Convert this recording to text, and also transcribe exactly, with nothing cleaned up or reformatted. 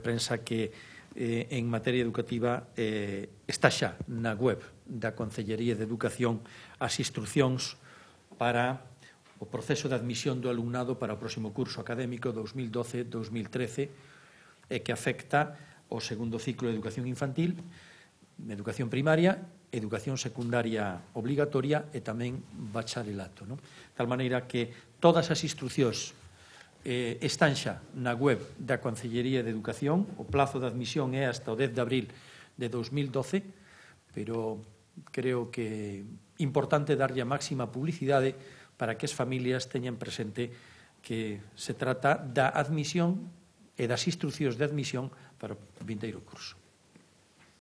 prensa que eh, en materia educativa eh, está xa na web da Concellería de Educación as instruccións para o proceso de admisión do alumnado para o próximo curso académico dos mil doce dos mil trece e que afecta o segundo ciclo de educación infantil, educación primaria, educación secundaria obligatoria e tamén bacharelato. Non? De tal maneira que todas as instruccións eh, están xa na web da Concellería de Educación. O plazo de admisión é hasta o dez de abril de dos mil doce, pero creo que é importante darlle a máxima publicidade para que as familias teñan presente que se trata da admisión e das instruccións de admisión para o vindeiro curso.